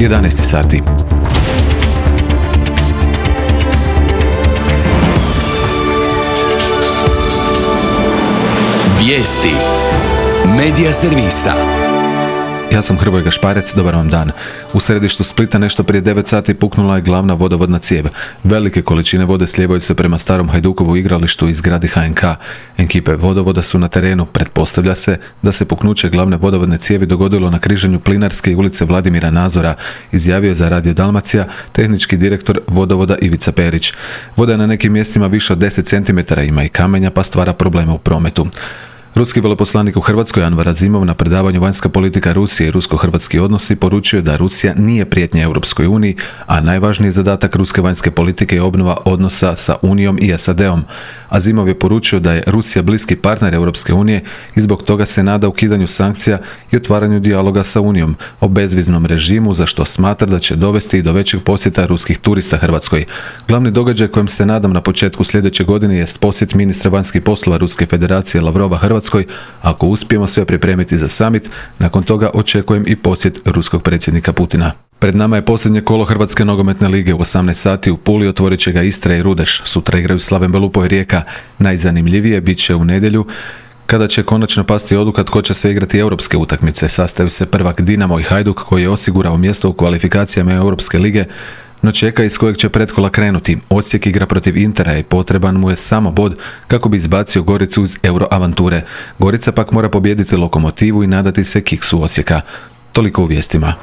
11 sati. Vijesti Medija servisa. Ja sam Hrvoje Gašparec, dobar vam dan. U središtu Splita nešto prije 9 sati puknula je glavna vodovodna cijev. Velike količine vode slijevaju se prema starom Hajdukovu igralištu i zgradi HNK. Ekipe vodovoda su na terenu. Pretpostavlja se da se puknuće glavne vodovodne cijevi dogodilo na križanju Plinarske i ulice Vladimira Nazora, izjavio je za Radio Dalmacija tehnički direktor vodovoda Ivica Perić. Voda je na nekim mjestima više od 10 cm, ima i kamenja pa stvara probleme u prometu. Ruski veleposlanik u Hrvatskoj Anvar Azimov na predavanju Vanjska politika Rusije i rusko-hrvatski odnosi poručio da Rusija nije prijetnja Europskoj uniji, a najvažniji zadatak ruske vanjske politike je obnova odnosa sa Unijom i SAD-om. Azimov je poručio da je Rusija bliski partner Europske unije i zbog toga se nada ukidanju sankcija i otvaranju dijaloga sa Unijom o bezviznom režimu, za što smatra da će dovesti i do većeg posjeta ruskih turista Hrvatskoj. Glavni događaj kojem se nadam na početku sljedeće godine jest posjet ministra vanjskih poslova Ruske federacije Lavrova Hrvatskoj. Ako uspijemo sve pripremiti za summit, nakon toga očekujem i posjet ruskog predsjednika Putina. Pred nama je posljednje kolo Hrvatske nogometne lige u 18 sati u Puli, otvorit će ga Istra i Rudeš. Sutra igraju Slaven Belupo i Rijeka. Najzanimljivije bit će u nedjelju, kada će konačno pasti odluka tko će sve igrati europske utakmice. Sastaju se prvak Dinamo i Hajduk koji je osigurao mjesto u kvalifikacijama Europske lige, no čeka iz kojeg će pretkola krenuti. Osijek igra protiv Intera i potreban mu je samo bod kako bi izbacio Goricu iz Euroavanture. Gorica pak mora pobijediti Lokomotivu i nadati se kiksu Osijeka. Toliko u vijestima.